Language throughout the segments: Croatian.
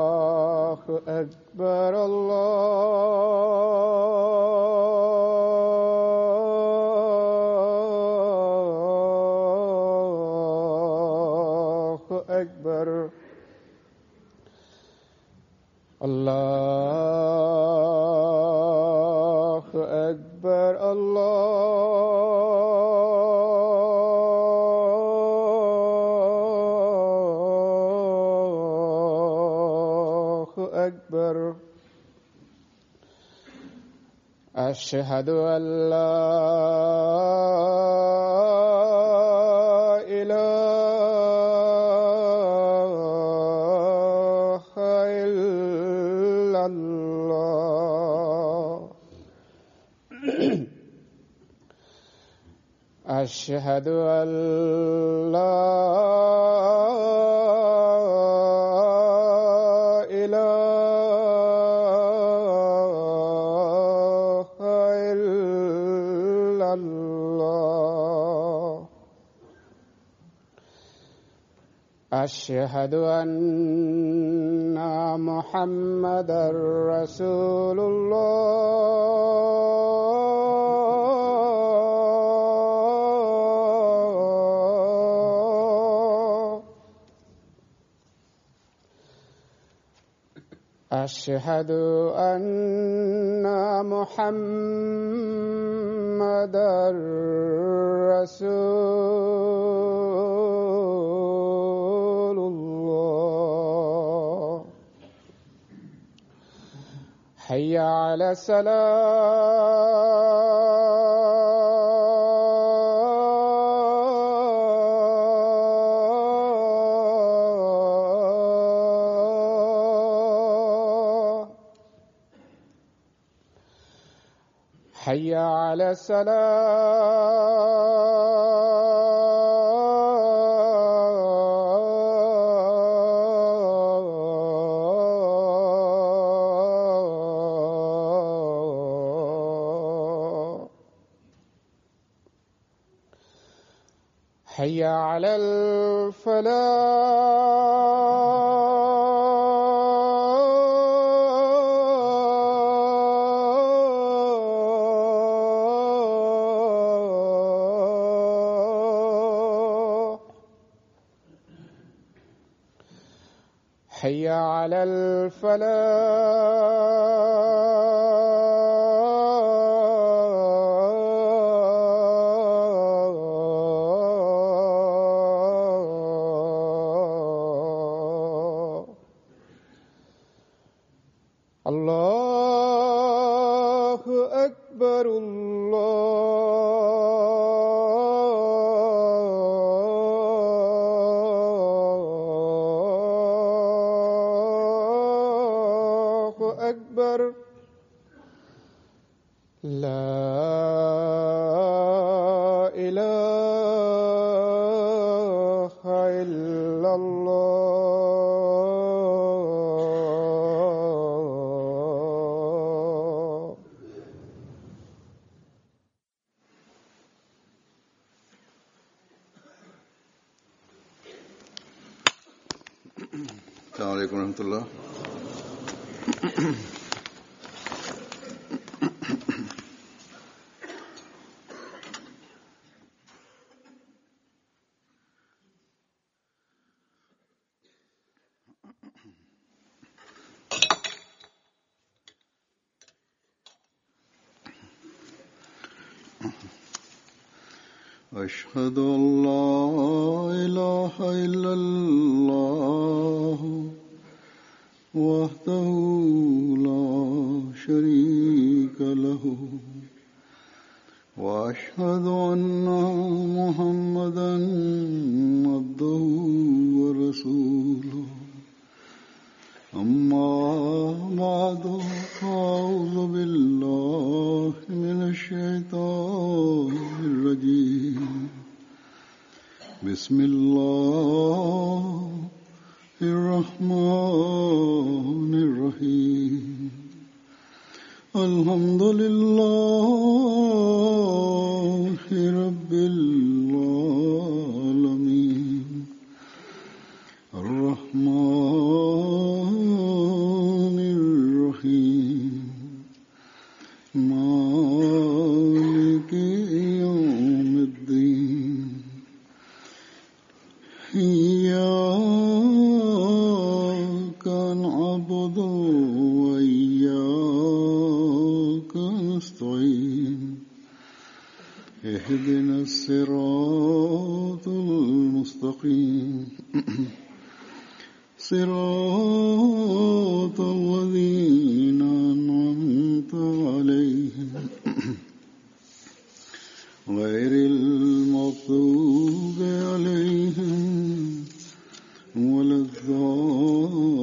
الله أكبر الله أكبر الله أكبر الله أكبر أشهد أن لا إله إلا الله أشهد أن لا إله إلا الله أشهد أن محمدا رسول الله أشهد أن محمدا رسول الله حي على الصلاة حي على الصلاة حي على الفلاح حي على الفلاح الله أكبر الله أكبر لا إله إلا الله السلام عليكم ورحمة الله. أشهد أن لا إله إلا الله وحده لا شريك له وأشهد أن محمدا عبده ورسوله أما بعد فأعوذ بالله من الشيطان الرجيم بسم الله الرحمن الرحيم الحمد لله رب العالمين اهدنا الصراط المستقيم صراط الذين أنعمت عليهم غير المغضوب عليهم ولا الضالين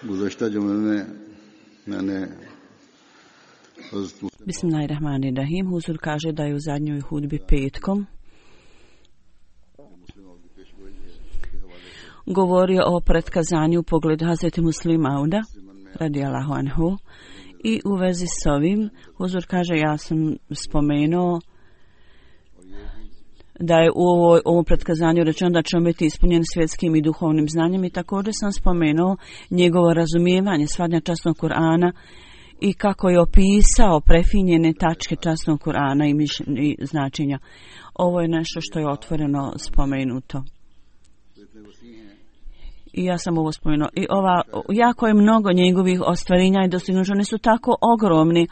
गुज़श्ता जुमे में मैंने Bismillahirrahmanirrahim. Huzur kaže da je u zadnjoj hudbi petkom govorio o pretkazanju u pogledu Hazreti Muslima Mauda radijallahu anhu i u vezi s ovim Huzur kaže ja sam spomenuo da je u ovom pretkazanju rečeno da će on biti ispunjen svjetskim i duhovnim znanjem i također sam spomenuo njegovo razumijevanje shvatanja časnog Kur'ana i kako je opisao prefinjene tačke časnog Kur'ana i značenja. Ovo je nešto što je otvoreno spomenuto. I ja sam ovo spomenuo. I jako je mnogo njegovih ostvarenja i dostignuća. Oni su tako ogromni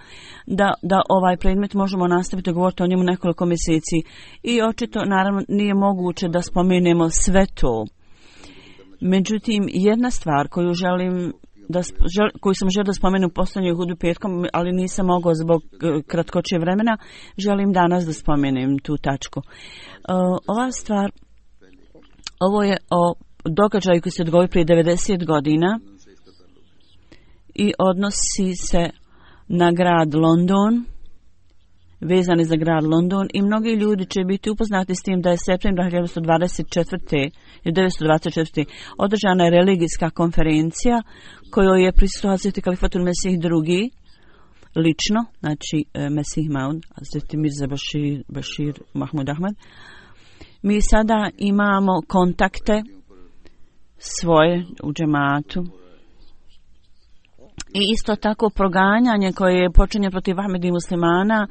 da ovaj predmet možemo nastaviti govoriti o njemu nekoliko mjeseci. I očito, naravno, nije moguće da spomenemo sve to. Međutim, jedna stvar koju sam želio da spomenu u posljednjoj hudbi petkom, ali nisam mogao zbog kratkoće vremena, želim danas da spomenem tu tačku. Ova stvar, ovo je o događaju koji se dogodio prije 90 godina i odnosi se na grad London, vezani za grad London i mnogi ljudi će biti upoznati s tim da je septembra 1924. održana je religijska konferencija kojoj je prisustvovao Hazreti Kalifatul Mesih II. Lično, znači Mesih Maud, Hazreti Mirza Bashir Mahmud Ahmad. Mi sada imamo kontakte svoje u džematu i isto tako proganjanje koje je počinjeno protiv Ahmedi muslimana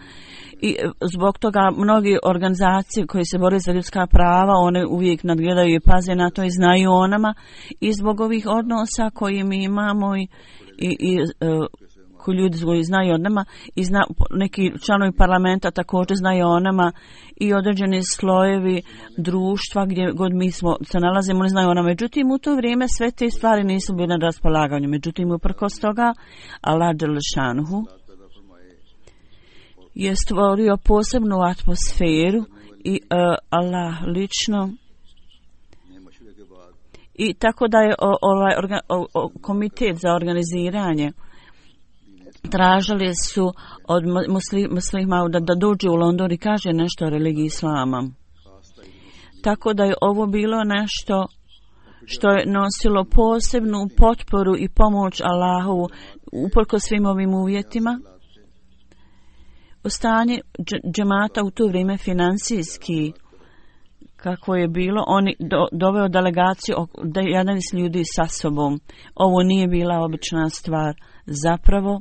i zbog toga mnogi organizacije koje se bore za ljudska prava, one uvijek nadgledaju i paze na to i znaju o nama i zbog ovih odnosa koje mi imamo i koji ljudi koji znaju o nama i neki članovi parlamenta također znaju o nama i određeni slojevi društva gdje god mi se nalazimo oni znaju o nama. Međutim, u to vrijeme sve te stvari nisu bile na raspolaganju. Međutim, uprkos toga Allah dželešanuhu je stvorio posebnu atmosferu i Allah lično i tako da je komitet za organiziranje tražili su od muslima da dođe u London i kaže nešto o religiji islama. Tako da je ovo bilo nešto što je nosilo posebnu potporu i pomoć Allahovu uprkos svim ovim uvjetima. Stanje džemata u to vrijeme financijski kako je bilo, oni doveo delegaciju 11 ljudi sa sobom. Ovo nije bila obična stvar. Zapravo,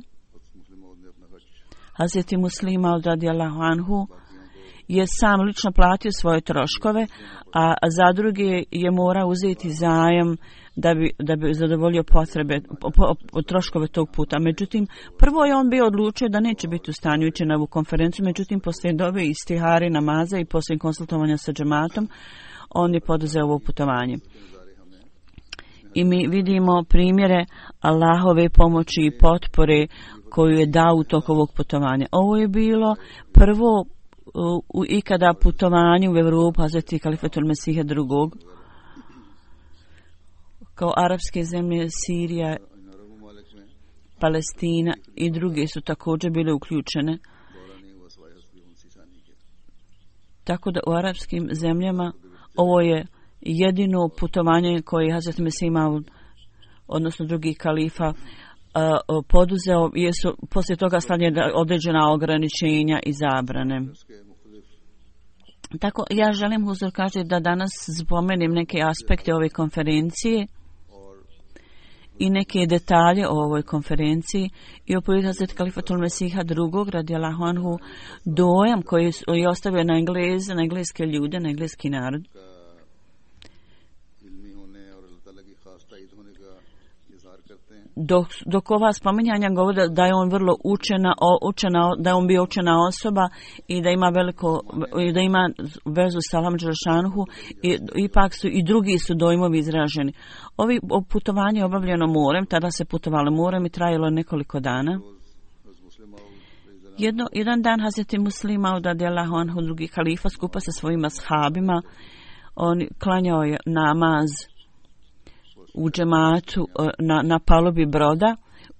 Hazreti Muslima radijallahu anhu je sam lično platio svoje troškove, a za druge je morao uzeti zajam da bi zadovoljio potrebe, troškove tog puta. Međutim, prvo je on bio odlučio da neće biti u stanju ići na ovu konferenciju, međutim, poslije dove istihari namaza i poslije konsultovanja sa džematom, on je poduzeo ovo putovanje. I mi vidimo primjere Allahove pomoći i potpore koju je dao u toku ovog putovanja. Ovo je bilo prvo ikada putovanje u Evropu Hazreti Kalifatul Mesiha II. Kao arapske zemlje, Sirija, Palestina i druge su također bile uključene. Tako da u arapskim zemljama ovo je jedino putovanje koje je Hazreti Mesih Maud, odnosno drugi kalifa, poduzeo, jesu poslije toga stavljena određena ograničenja i zabrane. Tako, ja želim, Huzur kaže, da danas spomenem neke aspekte ove konferencije i neke detalje o ovoj konferenciji i opovijed Hazreti Kalifatul Mesiha II. Radijallahu anhu, dojam koji je ostavio na engleske ljude, na engleski narod. dok ova spominjanja govore da je on vrlo da je on bio učena osoba i da ima da ima vezu sa Allahom dželešanuhu, i ipak su i drugi su dojmovi izraženi. Ovi putovanje je obavljeno morem, tada se putovalo morem i trajalo nekoliko dana. Jedan dan Hazreti Muslima radijallahu anhu, drugi halifa, skupa sa svojim ashabima, on klanjao je namaz u džematu na palubi broda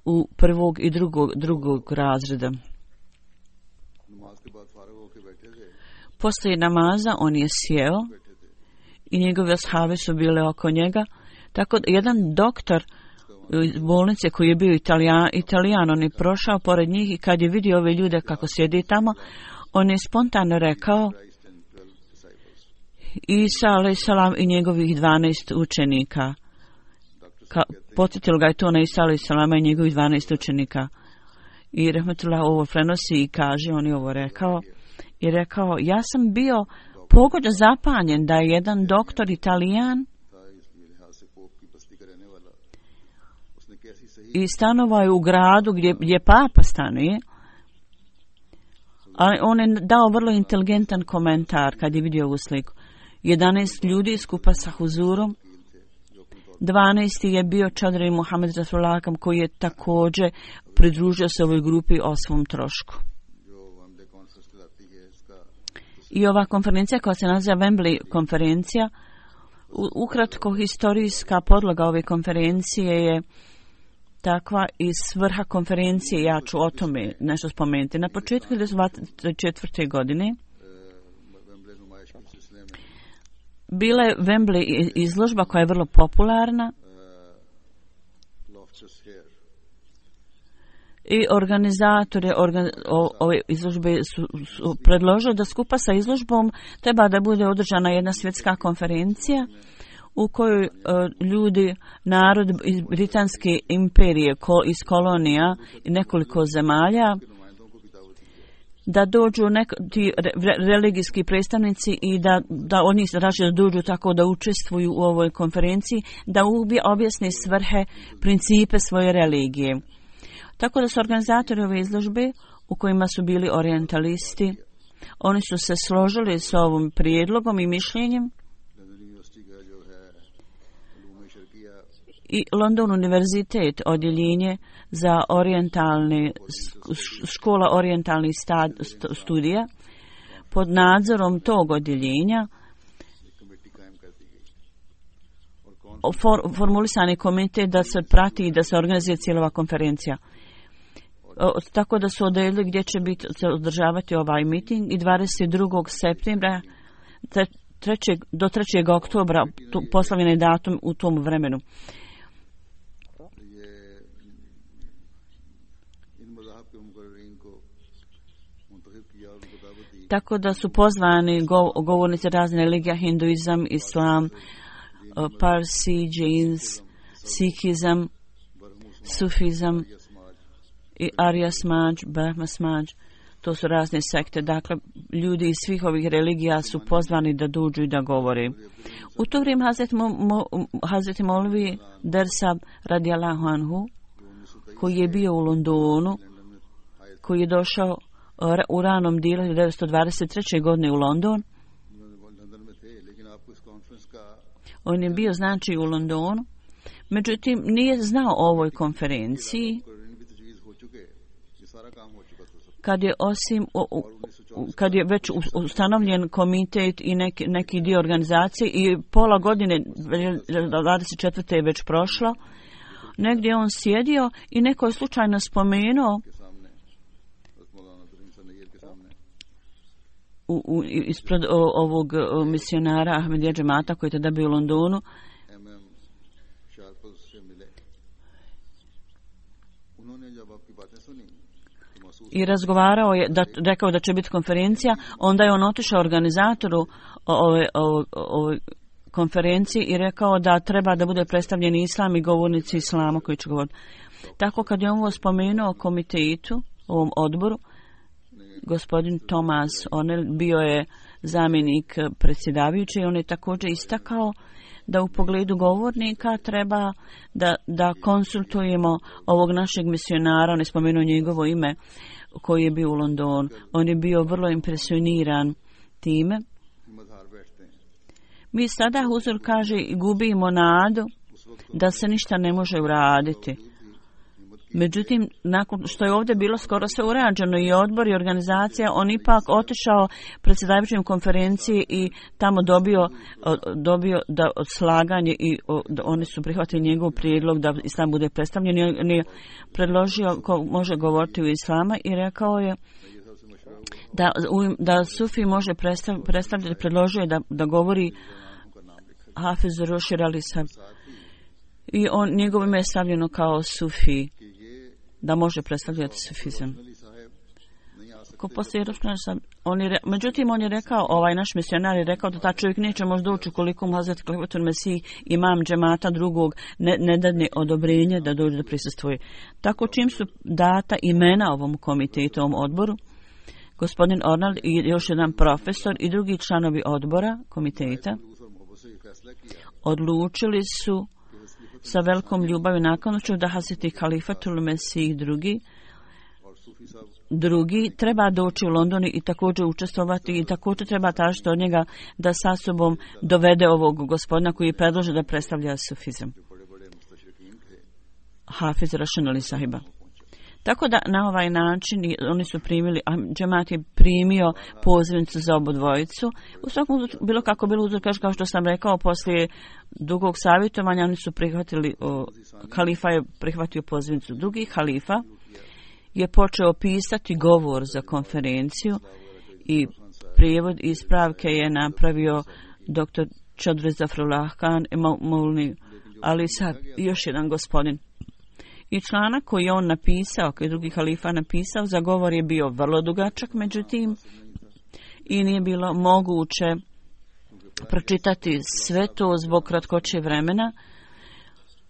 u prvog i drugog razreda. Poslije namaza on je sjeo i njegove ashabi su bile oko njega. Tako da jedan doktor iz bolnice koji je bio Italijan, on je prošao pored njih i kad je vidio ove ljude kako sjedi tamo, on je spontano rekao Isa alejsalam i njegovih 12 učenika. Podsjetilo ga je to na Isa alejsalama i njegovih 12 učenika. I rahmetullah ovo prenosi i kaže, on je ovo rekao, i rekao, ja sam bio pogođen, zapanjen da je jedan doktor Italijan i stanovao je u gradu gdje papa stanuje, ali on je dao vrlo inteligentan komentar kad je vidio ovu sliku. 11 ljudi skupa sa huzurom, 12. je bio Čadri Muhammed Rasulakam, koji je također pridružio se ovoj grupi o svom trošku. I ova konferencija koja se naziva Wembley konferencija, ukratko historijska podloga ove konferencije je takva i svrha konferencije, ja ću o tome nešto spomenuti. Na početku 1924. godine bila je Wembley izložba koja je vrlo popularna i organizatori ove izložbe su predložili da skupa sa izložbom treba da bude održana jedna svjetska konferencija u kojoj ljudi, narod iz Britanske imperije, iz kolonija i nekoliko zemalja, da dođu ti religijski predstavnici i da od njih da dođu tako da učestvuju u ovoj konferenciji, da objasne svrhe, principe svoje religije. Tako da su organizatori ove izložbe, u kojima su bili orientalisti, oni su se složili s ovom prijedlogom i mišljenjem, i London univerzitet, odjeljenje za škola orijentalnih studija, pod nadzorom tog odjeljenja formulisani komitet da se prati i da se organizuje cijela konferencija. Tako da su odredili gdje će se održavati ovaj miting i 22. septembra do 3. oktobra poslavljen je datum u tom vremenu. Tako da su pozvani govornici razne religija, hinduizam, islam, parsi, džins, sikizam, sufizam i Arya Smađ, Brahma Smađ. To su razne sekte. Dakle, ljudi iz svih ovih religija su pozvani da dođu i da govore. U to vrijeme Hazreti Molvi Dersab radijallahu anhu, koji je bio u Londonu, koji je došao u ranom dijelu 1923. godine u London. On je bio znači u Londonu, međutim nije znao o ovoj konferenciji kad je već ustanovljen komitet i neki dio organizacije i pola godine 24. je već prošlo. Negdje on sjedio i neko je slučajno spomenuo ispred ovog misionara Ahmedija džemata koji je tada bio u Londonu. I razgovarao je, rekao da će biti konferencija, onda je on otišao organizatoru ove konferencije i rekao da treba da bude predstavljen islam i govornici islama koji će govoriti. Tako kad je on ovo spomenuo komitetu, ovom odboru, gospodin Thomas O'Neill bio je zamjenik predsjedavajući i on je također istakao da u pogledu govornika treba da konsultujemo ovog našeg misionara, on je spomenuo njegovo ime, koji je bio u Londonu. On je bio vrlo impresioniran time. Mi sada, Huzur kaže, gubimo nadu da se ništa ne može uraditi. Međutim, nakon što je ovdje bilo skoro sve urađeno i odbor i organizacija, on ipak otišao predsjedavajućem konferenciji i tamo dobio da slaganje i oni su prihvatili njegov prijedlog da islam bude predstavljen. On je predložio ko može govoriti u islama i rekao je da Sufi može predstavljati, predložio je da govori Hafiz Rošir Ali Sahab. I njegovo ime je stavljeno kao Sufi, da može predstavljati sufizam. Međutim, on je rekao, ovaj naš misionar je rekao da ta čovjek neće možda doći ukoliko mu Hazret Khalifatul Mesih, imam džemata drugog, ne dadne odobrenje da dođe da prisustvuje. Tako čim su data imena ovom komitetu, ovom odboru, gospodin Ornald i još jedan profesor i drugi članovi odbora, komiteta, odlučili su sa velikom ljubavi naklonošću da Hazreti Khalifatul Mesih drugi treba doći u London i također učestvovati i također treba tražiti od njega da sa sobom dovede ovog gospodina koji predloži da predstavlja sufizam. Hafiz Rošir Ali Sahiba. Tako da na ovaj način oni su primili, džemat je primio pozivnicu za obodvojicu. U svakom bilo kako bilo uzor, kao što sam rekao, poslije dugog savjetovanja oni su prihvatili, halifa je prihvatio pozivnicu. Drugi halifa je počeo pisati govor za konferenciju i prijevod ispravke je napravio dr. Chaudhry Zafrullah Khan, Maulni Ali Sahab i još jedan gospodin. I članak koji je on napisao, koji je drugi halifa napisao, za govor je bio vrlo dugačak, međutim, i nije bilo moguće pročitati sve to zbog kratkoće vremena,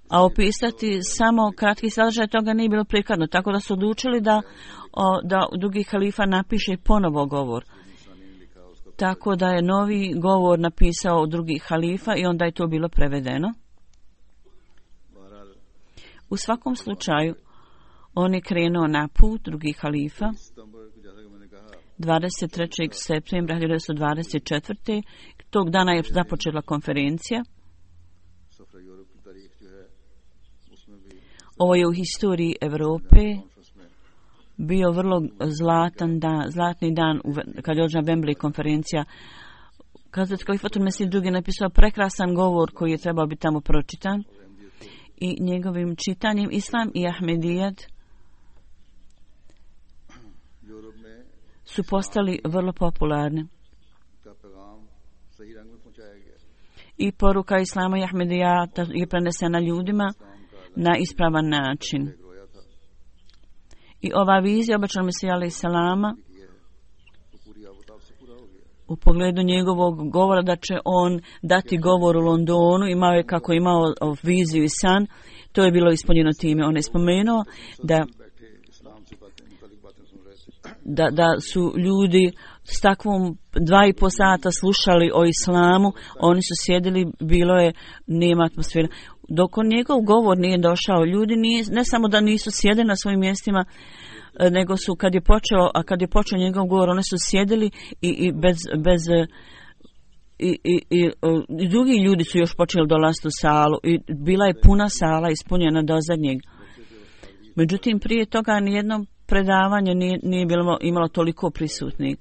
a opisati samo kratki sadržaj toga nije bilo prikladno, tako da su odlučili da drugi halifa napiše ponovo govor. Tako da je novi govor napisao drugi halifa i onda je to bilo prevedeno. U svakom slučaju, on je krenuo na put, drugi halifa, 23. septembra 1924. Tog dana je započela konferencija. Ovo je u historiji Europe bio vrlo zlatni dan kad je održana Wembley konferencija. Hazret Khalifatul Mesih II. Napisao prekrasan govor koji je trebao biti tamo pročitan. I njegovim čitanjem Islam i Ahmedijat su postali vrlo popularni. I poruka Islama i Ahmedijata je prenesena ljudima na ispravan način. I ova vizija obećanog Mesija alejhi selama u pogledu njegovog govora da će on dati govor u Londonu, imao je kako imao viziju i san, to je bilo ispunjeno time. On je spomenuo da su ljudi s takvom 2,5 sata slušali o islamu, oni su sjedili, bilo je, nema atmosfera. Dok on njegov govor nije došao, ljudi ne samo da nisu sjedili na svojim mjestima, nego su kad je počeo njegov govor, oni su sjedili i drugi ljudi su još počeli dolaziti u salu i bila je puna sala ispunjena do zadnjeg. Međutim, prije toga nijedno predavanje nije imalo toliko prisutnih.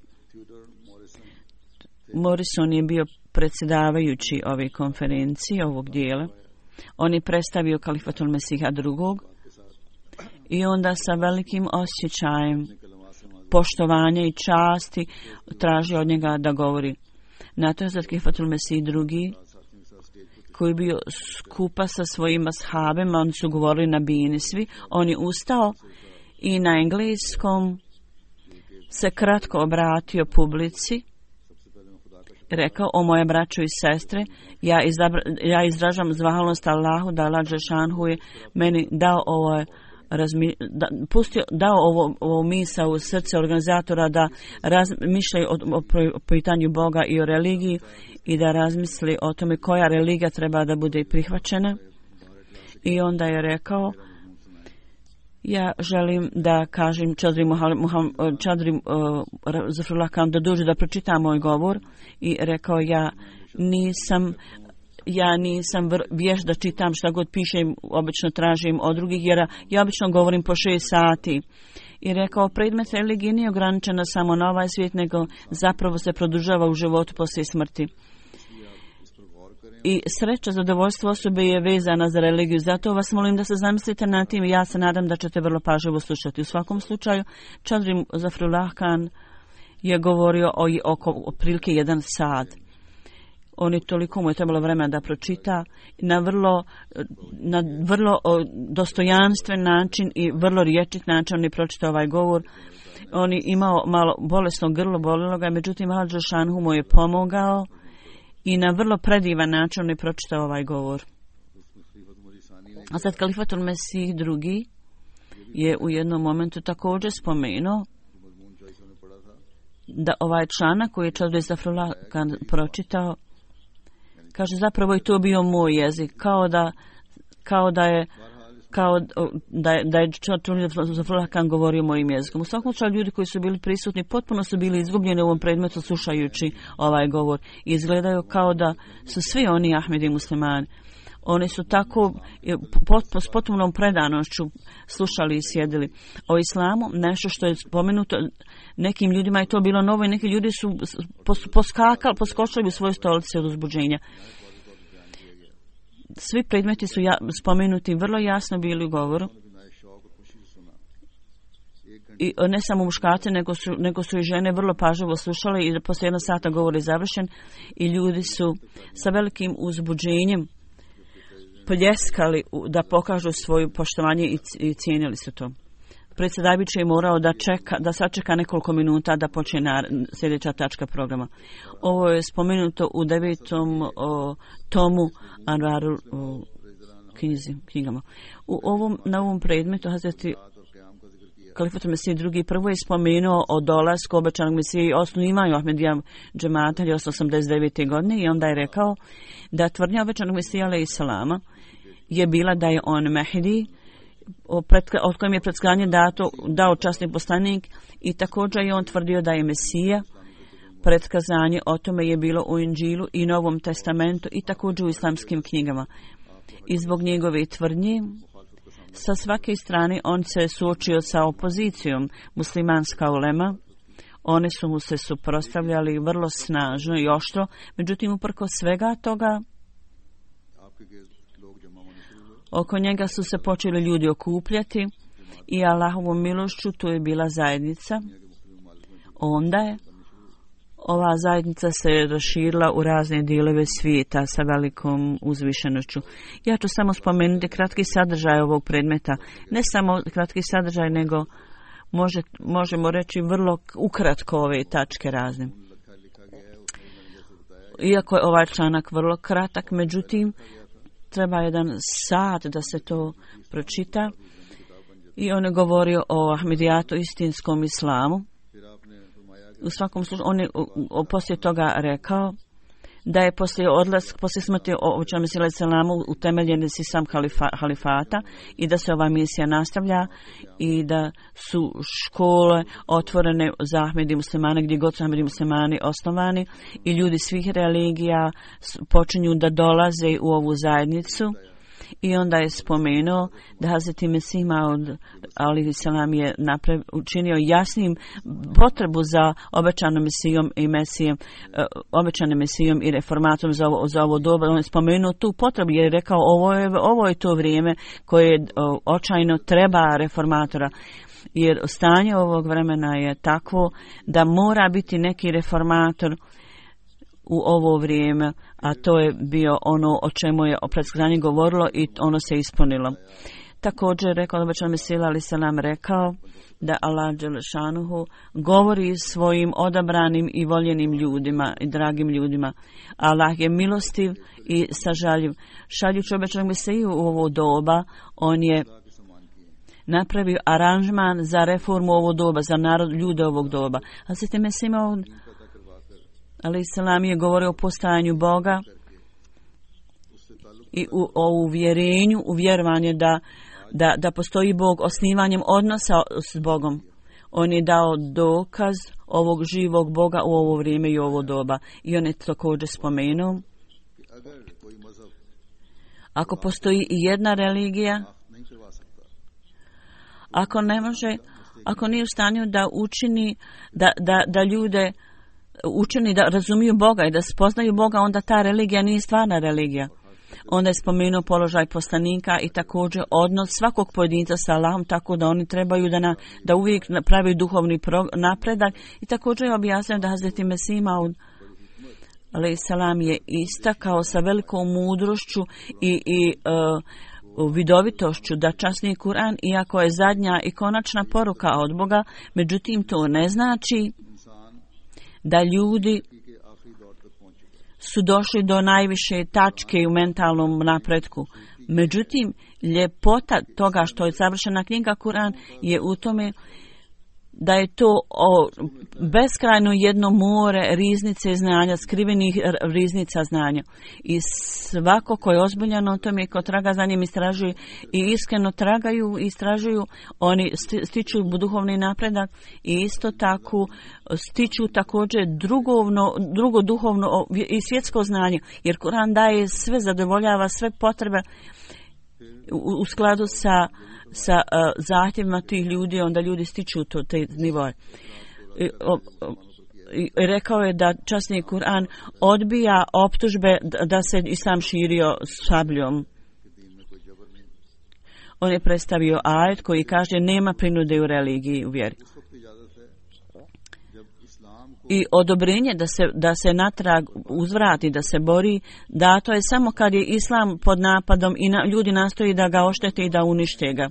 Morrison je bio predsjedavajući ove konferencije, ovog dijela. On je predstavio Khalifatul Mesiha II. I onda sa velikim osjećajem poštovanja i časti traži od njega da govori. Na to je Hazret Khalifatul Mesih II. Koji je bio skupa sa svojim ashabima, oni su govorili na bini svi, on je ustao i na engleskom se kratko obratio publici, rekao: o moje braćo i sestre, ja izražam zahvalnost Allahu da Allah dželešanhu je meni dao ovo dao ovo misa u srce organizatora da razmišljaju o pitanju Boga i o religiji i da razmisli o tome koja religija treba da bude prihvaćena. I onda je rekao, ja želim da kažem Čadri Zafrullah Khan da dođe da pročita moj govor i rekao ja nisam vješt da čitam šta god pišem, obično tražim od drugih jer ja obično govorim po 6 sati. I rekao, predmet religije nije ograničena samo na ovaj svijet, nego zapravo se produžava u životu poslije smrti. I sreća, zadovoljstvo osobe je vezana za religiju. Zato vas molim da se zamislite na tim i ja se nadam da ćete vrlo pažljivo slušati. U svakom slučaju, Čadri Zafrullah Khan je govorio oko otprilike 1 sat. On je toliko mu je trebalo vremena da pročita na vrlo dostojanstven način i vrlo riječit način on je pročitao ovaj govor. On je imao malo bolesno grlo, bolilo ga, međutim Allah Đelšanhu mu je pomogao i na vrlo predivan način on je pročitao ovaj govor. A sad Kalifatul Mesih II je u jednom momentu također spomenuo da ovaj članak koji je Čadri Zafrullah Khan pročitao, kaže zapravo je to bio moj jezik, kao da je Čadri Zafrullah Khan govorio mojim jezikom. U svakom slučaju ljudi koji su bili prisutni potpuno su bili izgubljeni u ovom predmetu slušajući ovaj govor. Izgledaju kao da su svi oni Ahmedi muslimani. Oni su tako s potpunom predanošću slušali i sjedili o islamu, nešto što je spomenuto. Nekim ljudima je to bilo novo i neki ljudi su poskočili u svoje stolice od uzbuđenja. Svi predmeti su spomenuti vrlo jasno bili u govoru. I ne samo muškarci, nego su i žene vrlo pažljivo slušale i poslije 1 sata govor je završen i ljudi su sa velikim uzbuđenjem pljeskali da pokažu svoje poštovanje i cijenili su to. Predsjedavajući je morao da sačeka nekoliko minuta da počne sljedeća tačka programa. Ovo je spomenuto u 9. tomu Anvaru knjigama. Na ovom predmetu Hazreti Kalifatul Mesih II prvo je spomenuo o dolasku obećanog Mesije i osnivanju Ahmedija džemata 1989. godine i onda je rekao da tvrdnja obećanog Mesija alejhi salama je bila da je on Mehdi, od kojem je predskazanje dao časni poslanik i također je on tvrdio da je Mesija. Predskazanje o tome je bilo u Inđilu i Novom testamentu i također u islamskim knjigama. I zbog njegove tvrdnje sa svake strane on se suočio sa opozicijom. Muslimanska ulema, oni su mu se suprotstavljali vrlo snažno i oštro, međutim uprkos svega toga oko njega su se počeli ljudi okupljati i Allahovom milošću tu je bila zajednica. Onda je ova zajednica se raširila u razne dijelove svijeta sa velikom uzvišenošću. Ja ću samo spomenuti kratki sadržaj ovog predmeta. Ne samo kratki sadržaj, nego možemo reći vrlo ukratko ove tačke razne. Iako je ovaj članak vrlo kratak, međutim, treba 1 sat da se to pročita. I on je govorio o Ahmedijatu, istinskom islamu. U svakom slučaju, on je poslije toga rekao da je poslije smrti obećanog Mesija alejhi selamu utemeljen sistem halifata i da se ova misija nastavlja i da su škole otvorene za Ahmedi muslimane gdje god su Ahmedi muslimani osnovani i ljudi svih religija počinju da dolaze u ovu zajednicu. I onda je spomenuo da Hazreti Mesih Maud alejhi selam je učinio jasnim potrebu za obećanom Mesijom i obećanim Mesijom i reformatom za ovo doba. On je spomenuo tu potrebu jer je rekao ovo je to vrijeme koje očajno treba reformatora. Jer stanje ovog vremena je takvo da mora biti neki reformator u ovo vrijeme, a to je bio ono o čemu je predskazanje govorilo i ono se ispunilo. Također rekao da obećani Mesija alejhi selam rekao da Allah dželešanuhu govori svojim odabranim i voljenim ljudima i dragim ljudima. Allah je milostiv i sažaljiv. Šaljući obećanog Mesiju u ovo doba, on je napravio aranžman za reformu ovog doba, za narod, ljude ovog doba. Hazreti Mesih Maud alejhi selam je govorio o postojanju Boga i o uvjerenju, uvjerovanje da postoji Bog osnivanjem odnosa s Bogom. On je dao dokaz ovog živog Boga u ovo vrijeme i ovo doba. I on je također spomenuo, ako postoji i jedna religija, ako ne može, ako nije u stanju da učini, da ljude učini da razumiju Boga i da spoznaju Boga, onda ta religija nije stvarna religija. Onda je spomenuo položaj poslanika i također odnos svakog pojedinca sa Allahom, tako da oni trebaju da uvijek pravi duhovni napredak. I također je objasnio da Hazreti Mesih Maud alejhi selam je istakao sa velikom mudrošću i vidovitošću da časni Kur'an, iako je zadnja i konačna poruka od Boga, međutim to ne znači da ljudi su došli do najviše tačke u mentalnom napretku. Međutim, ljepota toga što je savršena knjiga Kur'an je u tome da je to beskrajno jedno more riznice znanja, skrivenih riznica znanja. I svako ko je ozbiljan o tome, ko traga za njim, istražuju i iskreno tragaju i istražuju, oni stiču duhovni napredak i isto tako stiču također drugo duhovno i svjetsko znanje. Jer Kur'an daje sve, zadovoljava sve potrebe u skladu sa zahtjevima tih ljudi, onda ljudi stiču te nivoje. I rekao je da časni Kur'an odbija optužbe da se islam širio sabljom. On je predstavio ajet koji kaže nema prinude u religiji, u vjeri. I odobrenje da se natrag uzvrati, da se bori, dato je samo kad je islam pod napadom i ljudi nastoji da ga oštete i da unište ga.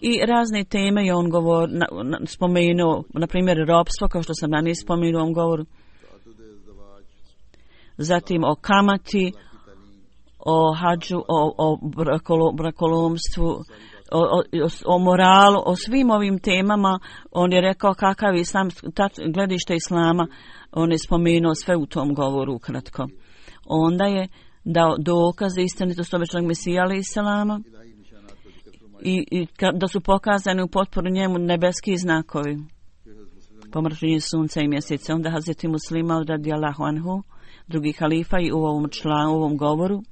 I razne teme je on spomenuo, na primjer ropstvo, kao što sam ranije spomenuo u ovom govoru. Zatim o kamati, o hadžu, o brakolomstvu, o moralu, o svim ovim temama. On je rekao kakav je islam, gledište islama, on je spomenuo sve u tom govoru ukratko. Onda je dao dokaze istinitosti obećanog Mesija alejhi selama i da su pokazani u potporu njemu nebeski znakovi, pomračenje sunca i mjeseca. Onda Hazreti Muslima radijallahu anhu, drugi halifa, i u ovom govoru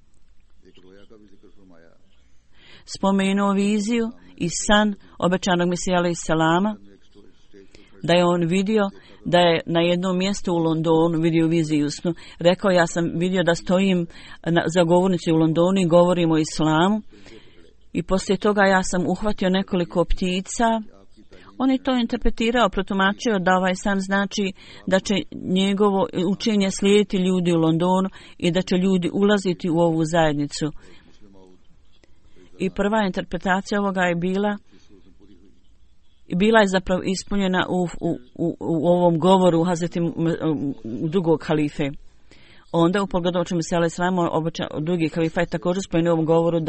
spomenuo viziju i san obećanog Mesija alejhi selama, da je on vidio da je na jednom mjestu u Londonu vidio viziju snu. Rekao, ja sam vidio da stojim za govornici u Londonu i govorim o islamu, i poslije toga ja sam uhvatio nekoliko ptica. On je to interpretirao, protumačio da ovaj san znači da će njegovo učenje slijediti ljudi u Londonu i da će ljudi ulaziti u ovu zajednicu. I prva interpretacija ovoga je bila je zapravo ispunjena u ovom govoru Hazreti drugog halife. Onda u pogledu o čemu se alejhi selam drugi halifa je također spomenuo u ovom govoru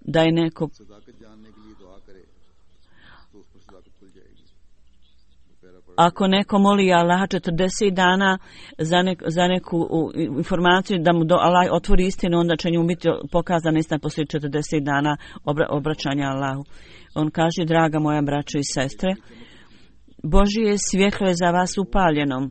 da je neko ako neko moli Allaha 40 dana za neku informaciju da mu Allah otvori istinu, onda će njemu biti pokazana istina poslije 40 dana obraćanja Allahu. On kaže, draga moja braćo i sestre, Božje svjetlo je za vas upaljeno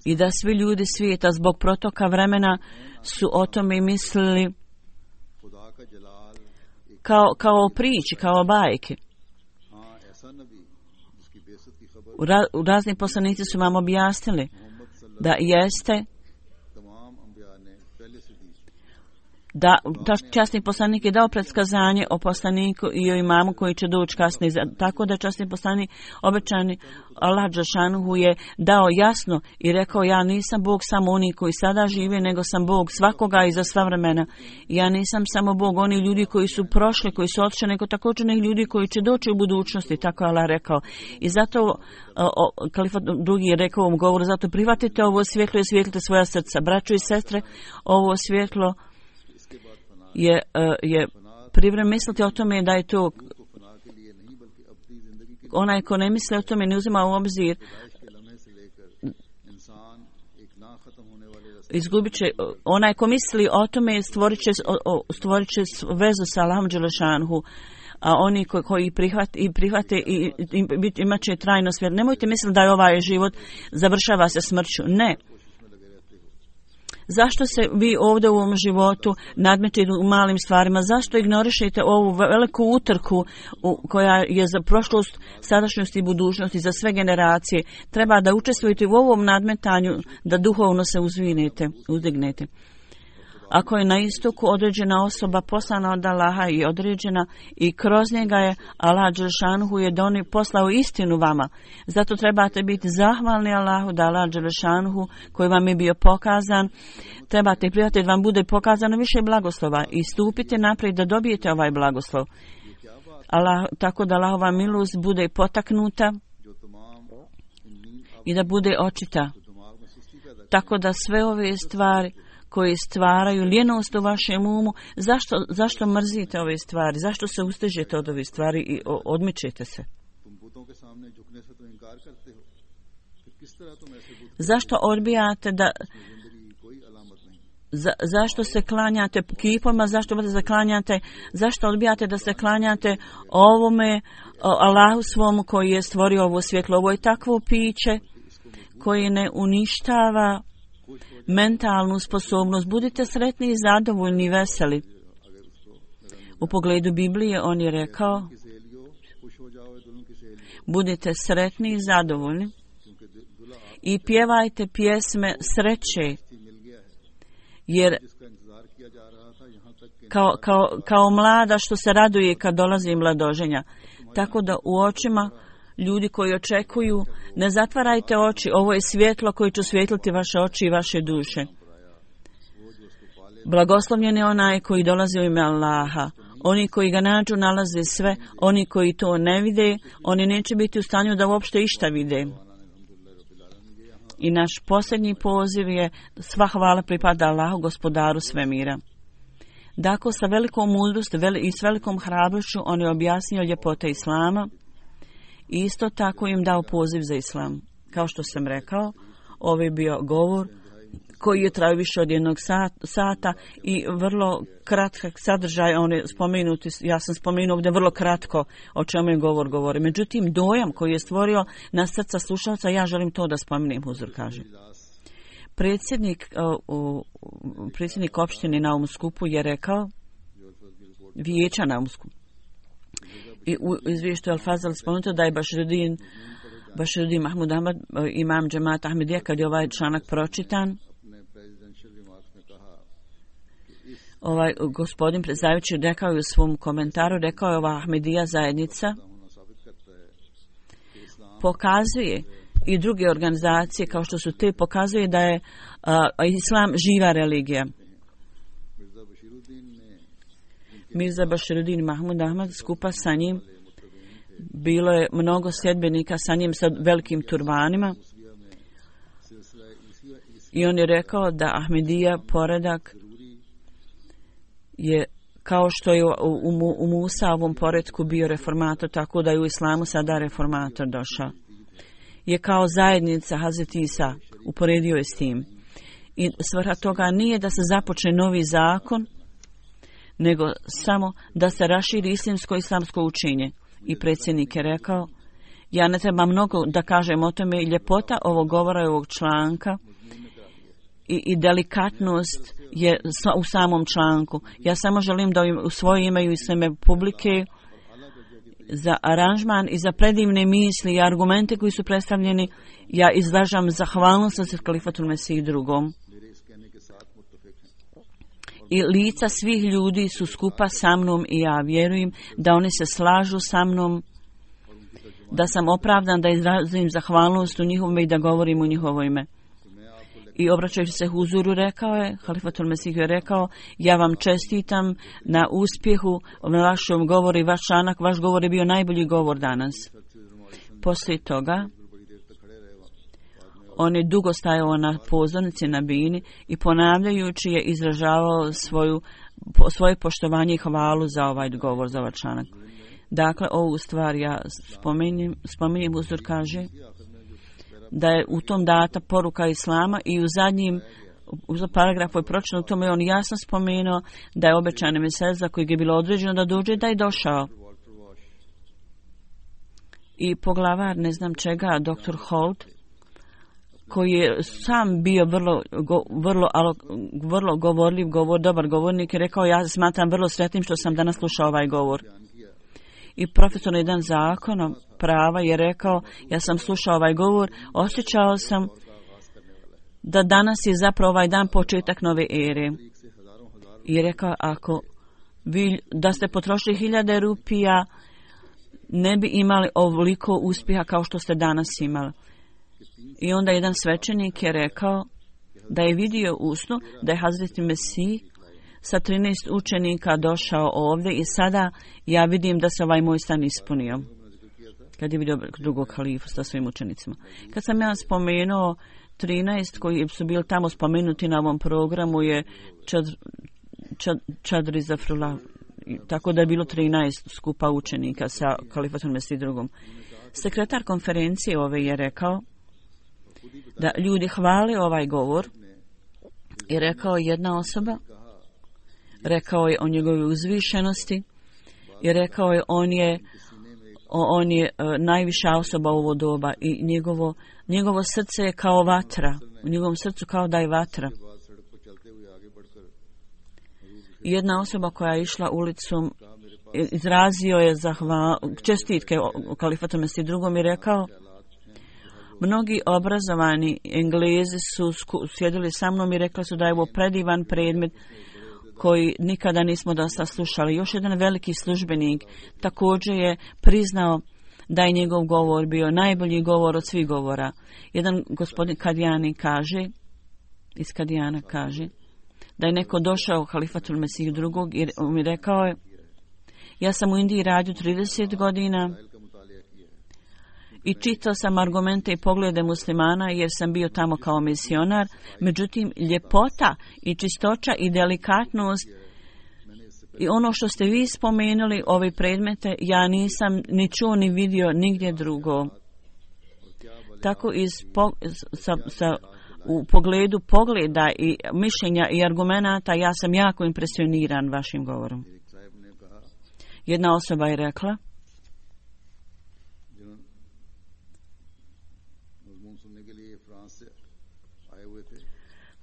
i da svi ljudi svijeta zbog protoka vremena su o tome mislili kao o priči, kao o bajke. Razni poslanici su vam objasnili da jeste da časni poslanik je dao predskazanje o poslaniku i o imamu koji će doći kasnije. Tako da časni poslanik obećani Allah dželešanohu je dao jasno i rekao, ja nisam Bog samo oni koji sada žive, nego sam Bog svakoga i za sva vremena. Ja nisam samo Bog oni ljudi koji su prošli, koji su otišli, nego također neki ljudi koji će doći u budućnosti, tako je Allah rekao. I zato kalifat drugi je rekao u ovom govoru, zato prihvatite ovo svjetlo i osvijetlite svoja srca. Braćo i sestre, ovo svjetlo je privremeno misliti o tome da je to onaj ko ne misli o tome, ne uzima u obzir, izgubit će, onaj ko misli o tome stvorit će vezu sa Allahom Đelešanhu, a oni koji prihvate i imat će trajno svjet. Nemojte misliti da je ovaj život završava se smrću. Ne. Zašto se vi ovdje u ovom životu nadmetite u malim stvarima? Zašto ignorišete ovu veliku utrku koja je za prošlost, sadašnjost i budućnost i za sve generacije? Treba da učestvujete u ovom nadmetanju, da duhovno se uzdignete. Ako je na istoku određena osoba poslana od Allaha i određena i kroz njega je Allah Đelešanuhu je poslao istinu vama. Zato trebate biti zahvalni Allahu da Allah Đelešanuhu koji vam je bio pokazan, trebate prihvatiti da vam bude pokazano više blagoslova i stupite naprijed da dobijete ovaj blagoslov. Tako da Allahova milost bude potaknuta i da bude očita. Tako da sve ove stvari koji stvaraju ljenost u vašem umu, zašto mrzite ove stvari, zašto se ustežete od ove stvari i odmičete se? Zašto odbijate da zašto se klanjate kipoma, zašto odbijate da se klanjate ovome Allahu svom koji je stvorio ovo svjetlo? Ovo je takvo piće koje ne uništava mentalnu sposobnost. Budite sretni i zadovoljni i veseli. U pogledu Biblije on je rekao, budite sretni i zadovoljni i pjevajte pjesme sreće, jer kao mlada što se raduje kad dolazi mladoženja. Tako da u očima ljudi koji očekuju, ne zatvarajte oči, ovo je svjetlo koje će osvijetliti vaše oči i vaše duše. Blagoslovljen je onaj koji dolazi u ime Allaha. Oni koji ga nađu nalaze sve, oni koji to ne vide, oni neće biti u stanju da uopšte išta vide. I naš posljednji poziv je sva hvala pripada Allahu, gospodaru svemira. Dakle, sa velikom mudrosti i s velikom hrabrošću on je objasnio ljepote Islama i isto tako im dao poziv za Islam. Kao što sam rekao, ovo je bio govor koji je trajao više od 1 sata i vrlo kratak sadržaj, on je spomenuti, ja sam spomenuo ovdje vrlo kratko o čemu je govori. Međutim, dojam koji je stvorio na srca slušalca, ja želim to da spomenem, Huzur kaže. Predsjednik opštine na ovom skupu je rekao, vijeća na ovom skupu, i u izvješću Al-Fazal spomenuto da je Baširuddin Mahmud Ahmad, imam džemata Ahmedija, kad je ovaj članak pročitan, ovaj gospodin predsjedavajući rekao je u svom komentaru, rekao je ova Ahmedija zajednica pokazuje i druge organizacije kao što su te, pokazuje da je Islam živa religija. Mirza Baširuddin Mahmud Ahmad, skupa sa njim bilo je mnogo sljedbenika sa njim sa velikim turbanima i on je rekao da Ahmedija poredak je kao što je u Musaovom poretku bio reformator, tako da je u Islamu sada reformator došao. Je kao zajednica Hazreti Isa, uporedio je s tim. I svrha toga nije da se započne novi zakon, nego samo da se raširi islamsko učenje. I predsjednik je rekao, ja ne treba mnogo da kažem o tome, ljepota ovog govora i ovog članka i delikatnost je u samom članku. Ja samo želim da u svoje ime i ime publike za aranžman i za predivne misli i argumente koji su predstavljeni, ja izražam zahvalnost za Kalifatul Mesih drugom. I lica svih ljudi su skupa sa mnom i ja vjerujem da oni se slažu sa mnom, da sam opravdan da izrazim zahvalnost u njihovom i da govorim u njihovo ime. I obraćajući se Huzuru rekao je, Halifatul Mesih je rekao, ja vam čestitam na uspjehu na vašem govoru i vaš članak, vaš govor je bio najbolji govor danas. Poslije toga, on je dugo stajao na pozornici na bini i ponavljajući je izražavao svoju svoje poštovanje i hvalu za ovaj govor, za ovaj članak. Dakle, ovu stvar ja spominjem, Huzur kaže da je u tom data poruka Islama i u zadnjim paragrafu je pročitano u tome on jasno spomenuo da je obećani mesec za kojeg je bilo određeno da dođe, da je došao. I poglavar ne znam čega, dr. Holt, koji je sam bio vrlo govorljiv, dobar govornik, je rekao ja smatram vrlo sretnim što sam danas slušao ovaj govor. I profesor na jedan zakon prava je rekao ja sam slušao ovaj govor, osjećao sam da danas je zapravo ovaj dan početak nove ere. I je rekao ako vi da ste potrošili 1000 rupija ne bi imali ovoliko uspjeha kao što ste danas imali. I onda jedan svećenik je rekao da je vidio u snu da je Hazreti Mesih sa 13 učenika došao ovdje i sada ja vidim da se ovaj moj stan ispunio. Kad je vidio drugog halifu sa svojim učenicima. Kad sam ja spomenuo 13 koji su bili tamo spomenuti na ovom programu je Čadri Zafrullah. Tako da je bilo 13 skupa učenika sa Kalifatom Mesih drugom. Sekretar konferencije ove je rekao da ljudi hvale ovaj govor i rekao jedna osoba, rekao je o njegovoj uzvišenosti i rekao je on je najviša osoba u ovo doba i njegovo srce je kao vatra, u njegovom srcu kao da je vatra. Jedna osoba koja je išla ulicom izrazio je čestitke o Kalifatu Mesih drugom i rekao mnogi obrazovani Englezi su sjedili sa mnom i rekli su da je ovo predivan predmet koji nikada nismo dosta slušali. Još jedan veliki službenik također je priznao da je njegov govor bio najbolji govor od svih govora. Jedan gospodin Kadijani iz Kadijana kaže da je neko došao u Halifatul Mesih drugog i mi rekao je ja sam u Indiji radio 30 godina i čitao sam argumente i poglede muslimana jer sam bio tamo kao misionar. Međutim, ljepota i čistoća i delikatnost i ono što ste vi spomenuli, ove predmete, ja nisam ni čuo ni vidio nigdje drugo. Tako u pogledu pogleda i mišljenja i argumenata ja sam jako impresioniran vašim govorom. Jedna osoba je rekla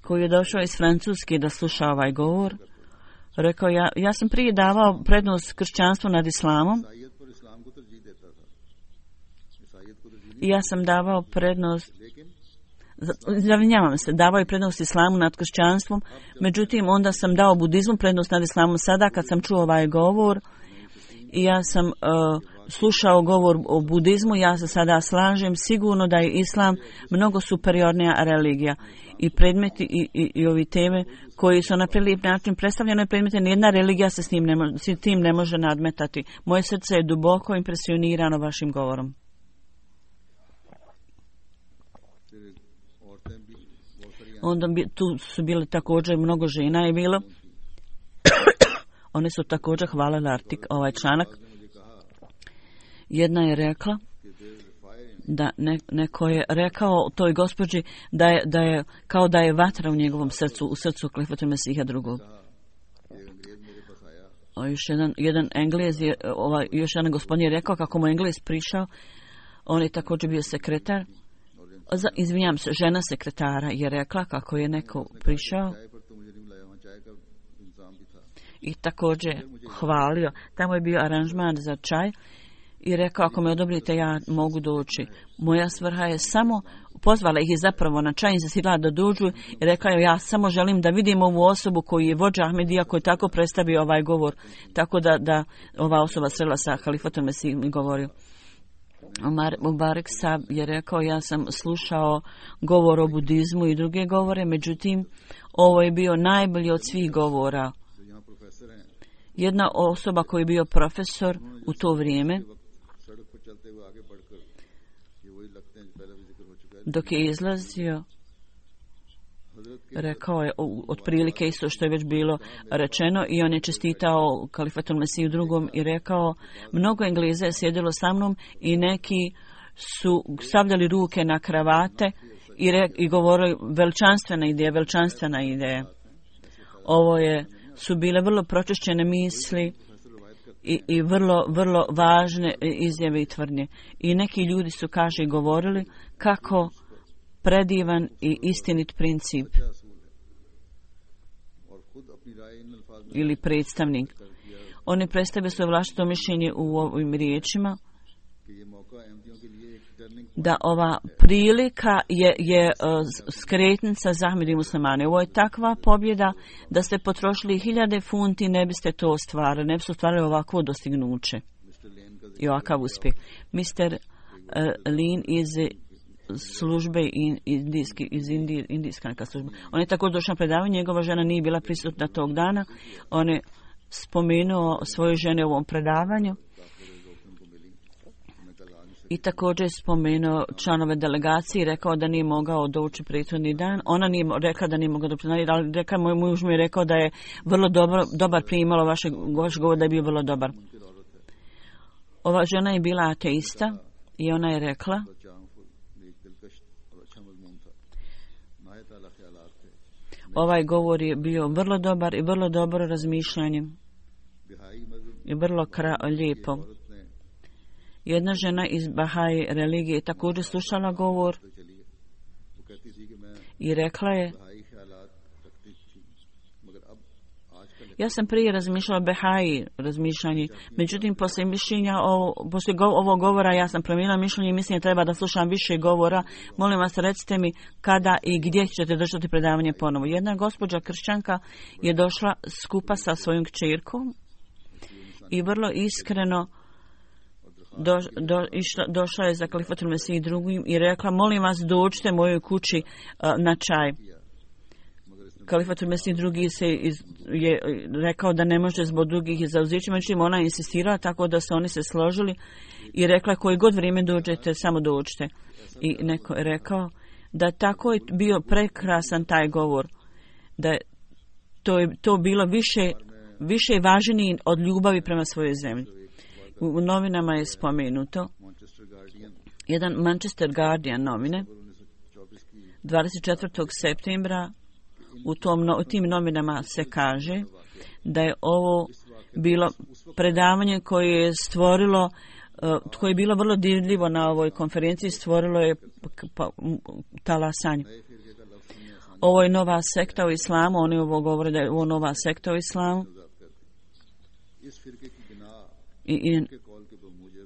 koji je došao iz Francuske da sluša ovaj govor, rekao ja sam prije davao prednost kršćanstvu nad islamom i ja sam davao prednost davao je prednost islamu nad kršćanstvom, međutim onda sam dao budizmu prednost nad islamom. Sada kad sam čuo ovaj govor i ja sam slušao govor o budizmu, ja se sada slažem sigurno da je islam mnogo superiornija religija i predmeti i ovi teme koji su na prelijep način predstavljene predmete, nijedna religija se s tim ne može nadmetati. Moje srce je duboko impresionirano vašim govorom. Onda tu su bile također mnogo žena je bilo. One su također hvalile ovaj članak. Jedna je rekla da neko je rekao toj gospođi da je kao da je vatra u njegovom srcu, u srcu Kalifata Mesiha drugog. Još jedan Englez je, još jedan gospodin je rekao kako mu Englez prišao, on je također bio sekretar. Izvinjam se, žena sekretara je rekla kako je neko prišao i također hvalio. Tamo je bio aranžman za čaj i rekao ako me odobrite ja mogu doći. Moja svrha je samo, pozvala ih je zapravo na čaj, insistila da dođu i rekla je ja samo želim da vidim ovu osobu koji je vođa Ahmedija koji tako predstavio ovaj govor. Tako da ova osoba srela sa Halifatom Mesihom i govorio. Mubarak Sab je rekao ja sam slušao govor o budizmu i druge govore, međutim ovo je bio najbolji od svih govora. Jedna osoba koji je bio profesor u to vrijeme, dok je izlazio rekao je otprilike isto što je već bilo rečeno i on je čestitao Kalifatul Mesiju drugom i rekao, mnogo Engleza je sjedilo sa mnom i neki su stavljali ruke na kravate i govorili veličanstvena ideja. Ovo su bile vrlo pročišćene misli i vrlo važne izjave i tvrdnje. I neki ljudi su, kaže, govorili kako predivan i istinit princip ili predstavnik. Oni predstavljaju svoje vlastito mišljenje u ovim riječima da ova prilika je skretnica za Ahmed i muslimane. Ovo je takva pobjeda da ste potrošili 1000 funti, ne biste to ostvarili, ne biste ostvarili ovakvo dostignuće i ovakav uspjeh. Mr. Lin iz službe iz indijska neka služba. On je tako došao na predavanje, njegova žena nije bila prisutna tog dana. On je spomenuo svoje žene u ovom predavanju i također spomenuo članove delegacije i rekao da nije mogao doći prethodni dan. Ona nije rekla da nije mogao doći, ali rekao, moj muž mi je rekao da je vrlo dobar primalo vaš govor, da je bio vrlo dobar. Ova žena je bila ateista i ona je rekla ovaj govor je bio vrlo dobar i vrlo dobro razmišljanje i vrlo lijepo. Jedna žena iz Bahai religije također slušala govor i rekla je, ja sam prije razmišljala Bahai razmišljanje, međutim poslije ovog govora ja sam promijenila mišljenje i mislim da treba da slušam više govora. Molim vas, recite mi kada i gdje ćete držati predavanje ponovo. Jedna gospođa kršćanka je došla skupa sa svojom kćerkom i vrlo iskreno došla je za Kalifatul Mesih drugim i rekla, molim vas, dođite mojoj kući na čaj. Kalifatul Mesih drugi je rekao da ne može zbog drugih zauzeća, međutim ona insistirala tako da se oni se složili i rekla, koji god vrijeme dođete, samo dođite. I neko je rekao da tako je bio prekrasan taj govor, da je to bilo više važnije od ljubavi prema svojoj zemlji. U novinama je spomenuto, jedan Manchester Guardian novine, 24. septembra u tim novinama se kaže da je ovo bilo predavanje koje je stvorilo, koje je bilo vrlo dirljivo na ovoj konferenciji, stvorilo je talasanje. Ovo je nova sekta u islamu, oni ovo govore da je ovo nova sekta u islamu. I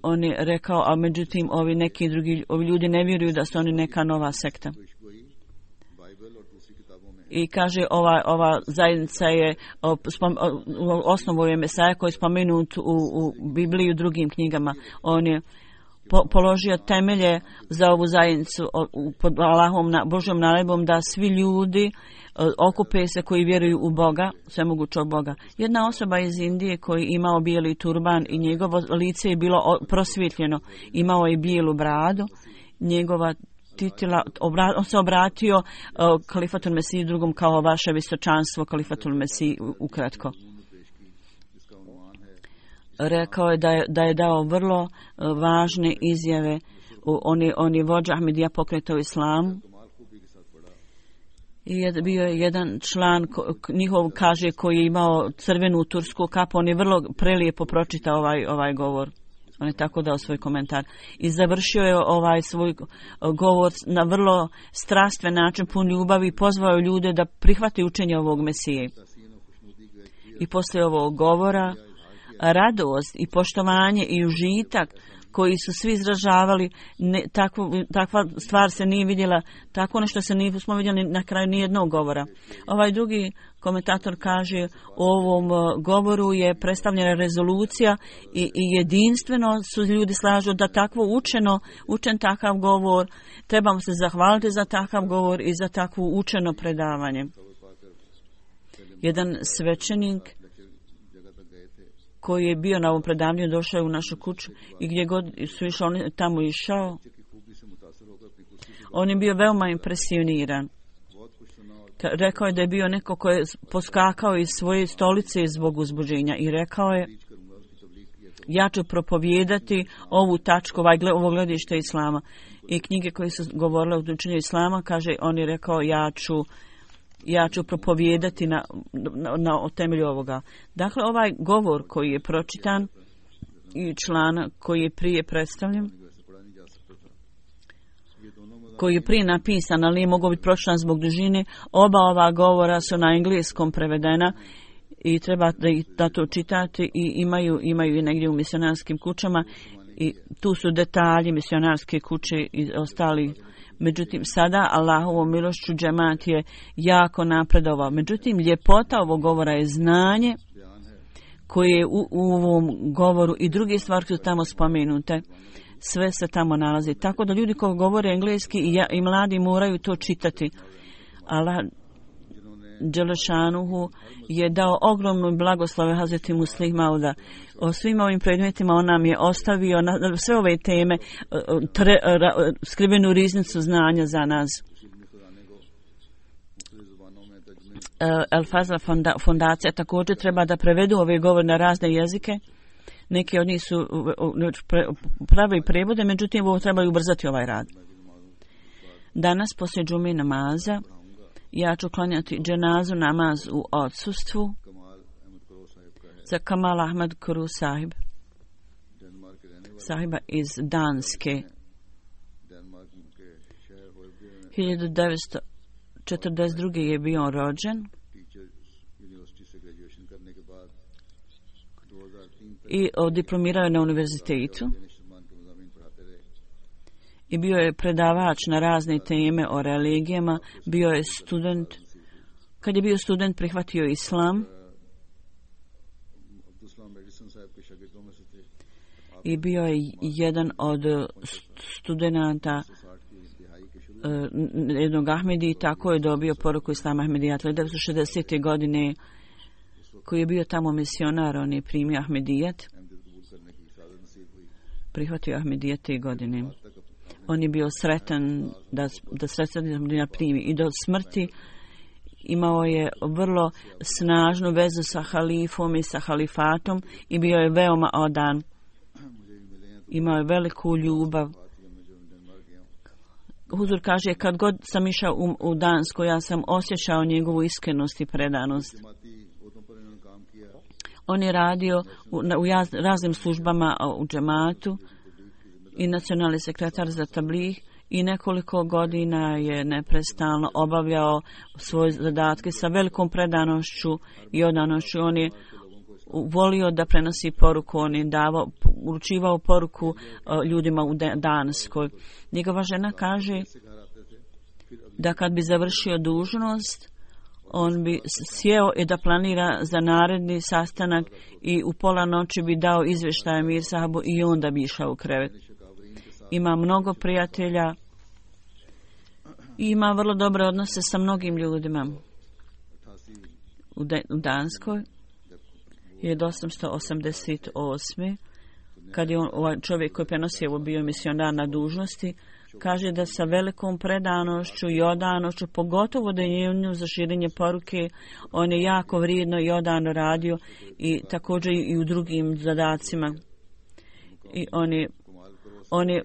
on je rekao, a međutim ovi ljudi ne vjeruju da su oni neka nova sekta. I kaže, ova zajednica je osnovu je Mesaja koji je spomenut u Bibliji i u drugim knjigama. On je položio temelje za ovu zajednicu pod Allahom, Božjom naredbom da svi ljudi okupe se koji vjeruju u Boga, svemogućog Boga. Jedna osoba iz Indije koji imao bijeli turban i njegovo lice je bilo prosvjetljeno, imao je bijelu bradu, njegova titula, on se obratio Kalifatul Mesih drugom kao vaše visočanstvo Kalifatul Mesih ukratko. Rekao je da je dao vrlo važne izjave. On je vođa Ahmedija pokreta u islamu. I bio je jedan član njihov, kaže, koji je imao crvenu tursku kapu. On je vrlo prelijepo pročitao ovaj govor. On je tako dao svoj komentar. I završio je svoj govor na vrlo strastven način, pun ljubavi, i pozvao ljude da prihvate učenje ovog Mesije. I poslije ovog govora radost i poštovanje i užitak koji su svi izražavali, takva stvar se nije vidjela, tako nešto se nismo vidjeli na kraju nijednog govora. Ovaj drugi komentator kaže, u ovom govoru je predstavljena rezolucija i jedinstveno su ljudi slažu da takvo učen takav govor, trebamo se zahvaliti za takav govor i za takvo učeno predavanje. Jedan svećenik koji je bio na ovom predavanju došao u našu kuću i gdje god su išli, on je tamo išao. On je bio veoma impresioniran Rekao je da je bio neko ko je poskakao iz svoje stolice zbog uzbuđenja i rekao je: ja ću propovijedati ovu tačku, ovo gledište Islama. I knjige koje su govorile o učenju Islama, kaže, on je rekao: ja ću propovijedati na temelju ovoga. Dakle, ovaj govor koji je pročitan i članak koji je prije predstavljen, koji je prije napisan, ali nije mogao biti pročitan zbog dužine, oba ova govora su na engleskom prevedena i treba da to čitati i imaju i negdje u misionarskim kućama i tu su detalji misionarske kuće i ostali. Međutim, sada Allahovom milošću džemat je jako napredovao. Međutim, ljepota ovog govora je znanje koje je u ovom govoru i druge stvari su tamo spomenute. Sve se tamo nalazi. Tako da ljudi koji govore engleski i mladi moraju to čitati. Allah Đelešanuhu je dao ogromnu blagoslove Hazreti Muslih Mauda. O svim ovim predmetima on nam je ostavio na sve ove teme skrivenu riznicu znanja za nas. El Fazla fondacija također treba da prevedu ove govore na razne jezike. Neki od njih su pravi prevode, međutim ovo trebaju ubrzati ovaj rad. Danas poslije džume namaza ja ću klanjati dženazu namaz u odsustvu za Kamal Ahmad Kuru sahiba iz Danske. 1942. je bio rođen i diplomirao je na univerzitetu i bio je predavač na razne teme o religijama, bio je student. Kad je bio student prihvatio islam i bio je jedan od studenata jednog Ahmedi i tako je dobio poruku Islama Ahmedijata. 1960. godine koji je bio tamo misionar, on je primio Ahmedijat, prihvatio Ahmedijat te godine. On je bio sretan da sretan primi i do smrti imao je vrlo snažnu vezu sa halifom i sa halifatom i bio je veoma odan. Imao je veliku ljubav. Huzur kaže, kad god sam išao u Dansku, ja sam osjećao njegovu iskrenost i predanost. On je radio u raznim službama u džematu i nacionalni sekretar za tabligh i nekoliko godina je neprestalno obavljao svoje zadatke sa velikom predanošću i odanošću. On je volio da prenosi poruku, on je uručivao poruku ljudima u Danskoj. Njegova žena kaže da kad bi završio dužnost, on bi sjeo i da planira za naredni sastanak i u pola noći bi dao izvještaj Mir sahabu i onda bi išao u krevet. Ima mnogo prijatelja i ima vrlo dobre odnose sa mnogim ljudima. U Danskoj 1888. kad je ovaj čovjek koji prenosi ovo bio misionar na dužnosti, kaže da sa velikom predanošću i odanošću, pogotovo da je nju za širenje poruke, on je jako vrijedno i odano radio i također i u drugim zadacima. I on je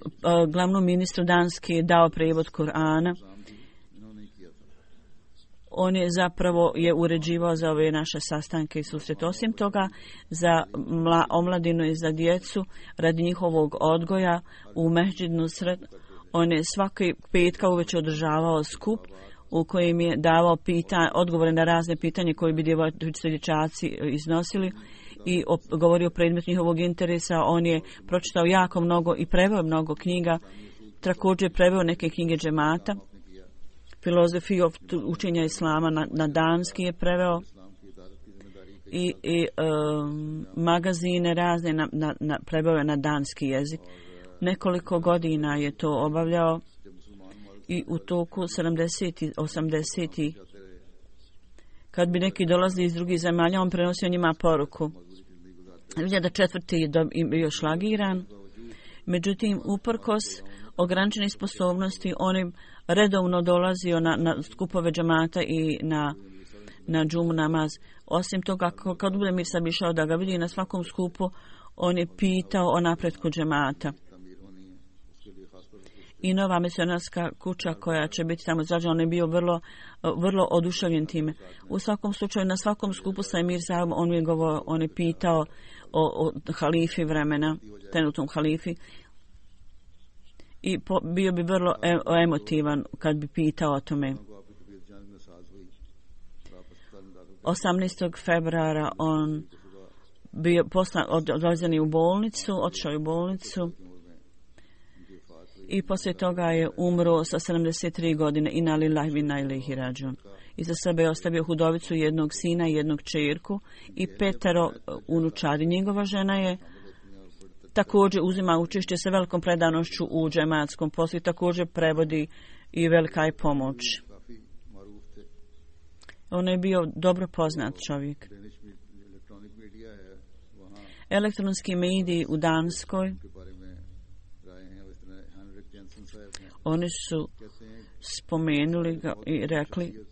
glavnom ministru Danske dao prevod Kur'ana. On je zapravo uređivao za ove naše sastanke i susrete. Osim toga, za omladinu i za djecu, radi njihovog odgoja u Mehdžid Nusret, on je svaki petka uveče održavao skup u kojem je davao odgovore na razne pitanje koje bi dječaci iznosili i govorio o predmetu njihovog interesa. On je pročitao jako mnogo i preveo mnogo knjiga. Također je preveo neke knjige džemata. Filozofiju učenja islama na danski je preveo i magazine razne preveo je na danski jezik. Nekoliko godina je to obavljao i u toku 70. 80. kad bi neki dolazili iz drugih zemalja, on prenosio njima poruku. 2004. je bio šlagiran, međutim, uprkos ograničenih sposobnosti, on je redovno dolazio na skupove džamata i na džumu namaz. Osim toga, kad bude mir sam išao da ga vidi na svakom skupu, on je pitao o napretku džemata. I nova misionarska kuća koja će biti tamo izrađena, on je bio vrlo oduševljen time. U svakom slučaju, na svakom skupu sa Emir Sahibom on je pitao o halifi vremena, trenutnom halifi. I bio bi vrlo emotivan kad bi pitao o tome. 18. februara on bio odvezen u bolnicu, otišao je u bolnicu i poslije toga je umro sa 73 godine. Inna lillahi wa inna ilaihi rađun. Iza sebe je ostavio hudovicu, jednog sina i jednog čerku i 5 unučadi. Njegova žena je također uzima učešće sa velikom predanošću u džematskom poslu i također prevodi i velika je pomoć. On je bio dobro poznat čovjek. Elektronski mediji u Danskoj, oni su spomenuli ga i rekli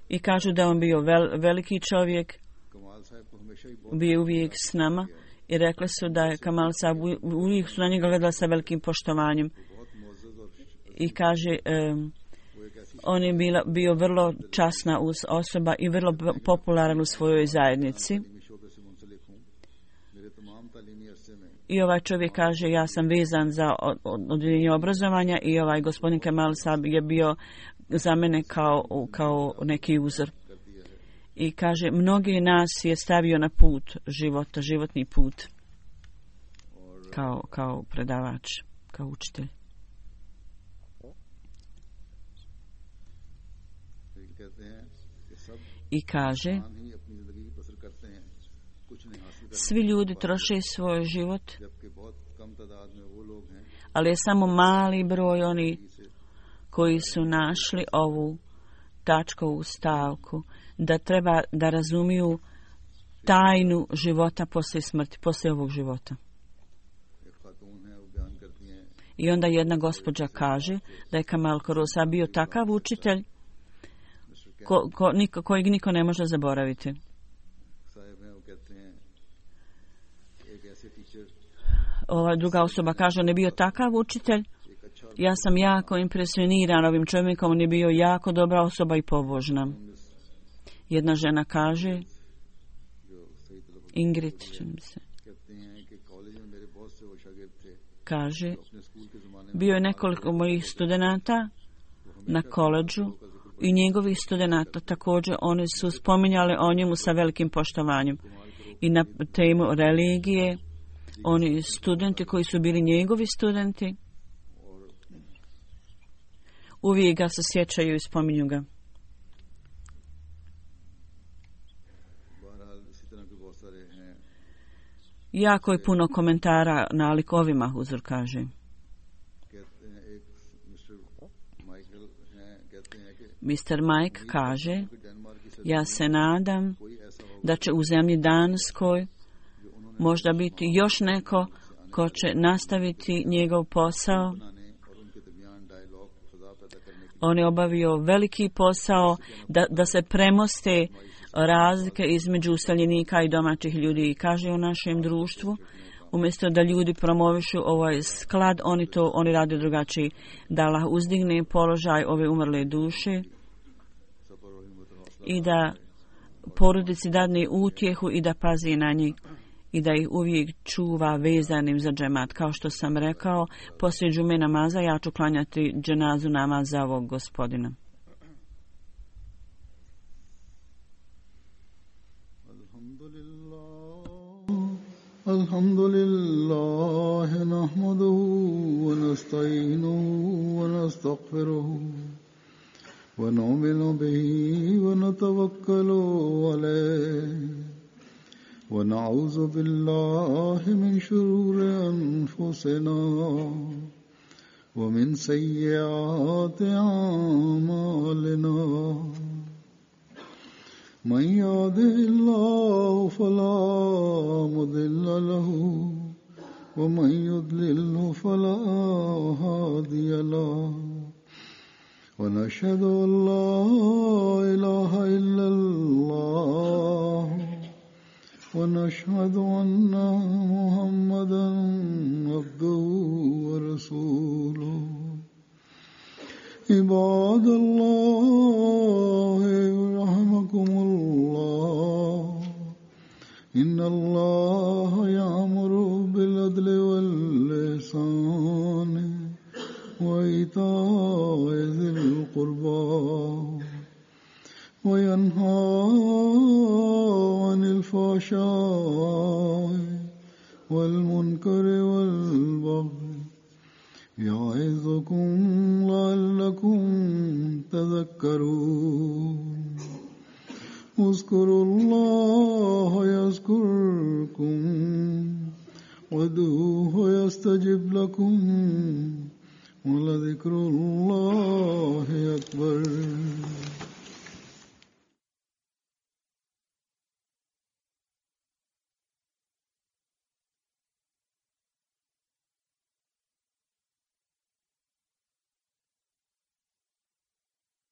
i kažu da on bio veliki čovjek, bio uvijek s nama i rekli su da je Kamal Sahib, uvijek su na njega gledali sa velikim poštovanjem. I kaže, on je bio vrlo časna osoba i vrlo popularan u svojoj zajednici. I ovaj čovjek kaže, ja sam vezan za odjeljenje obrazovanja i ovaj gospodin Kamal Sahib je bio za mene kao neki uzor. I kaže, mnogi nas je stavio na put života, životni put, kao predavač, kao učitelj. I kaže, svi ljudi troše svoj život, ali je samo mali broj oni koji su našli ovu tačkovu stavku, da treba da razumiju tajnu života poslije smrti, poslije ovog života. I onda jedna gospođa kaže da je Kamal Korosa bio takav učitelj kojeg niko ne može zaboraviti. Ova druga osoba kaže, on je bio takav učitelj, ja sam jako impresioniran ovim čovjekom, on je bio jako dobra osoba i pobožna. Jedna žena kaže, Ingrid, kaže, bio je nekoliko mojih studenata na koledžu i njegovih studenata također, oni su spominjali o njemu sa velikim poštovanjem. I na temu religije, oni studenti koji su bili njegovi studenti, uvijek ga se sjećaju i spominju ga. Jako je puno komentara na likovima, Huzur kaže. Mr. Mike kaže, ja se nadam da će u zemlji Danskoj možda biti još neko ko će nastaviti njegov posao. On je obavio veliki posao da se premoste razlike između useljenika i domaćih ljudi. I kaže u našem društvu, umjesto da ljudi promovišu ovaj sklad, oni rade drugačiji. Da Allah uzdigne položaj ove umrle duše i da porodici dadne utjehu i da pazi na njih i da ih uvijek čuva vezanim za džemat. Kao što sam rekao, poslije džume namaza ja ću klanjati dženazu namaz za ovog gospodina. Alhamdulillah, nahmaduhu wa nasta'inuhu wa nastaghfiruhu wa nu'minu bihi wa natawakkalu alayhi wa na'udhu billahi min shururi anfusina wa min sayyiati a'malina. من يهده الله فلا مضل له ومن يضلل فلا هادي ونشهد أن لا إله إلا الله ونشهد أن محمدا عبده ورسوله عباد الله رحمكم الله إن الله يأمر بالعدل والإحسان وإيتاء ذي القربى وينهى عن الفحشاء والمنكر والبغي يعظكم لعلكم تذكرون اذكروا الله يذكركم وادعوه يستجب لكم ولذكر الله أكبر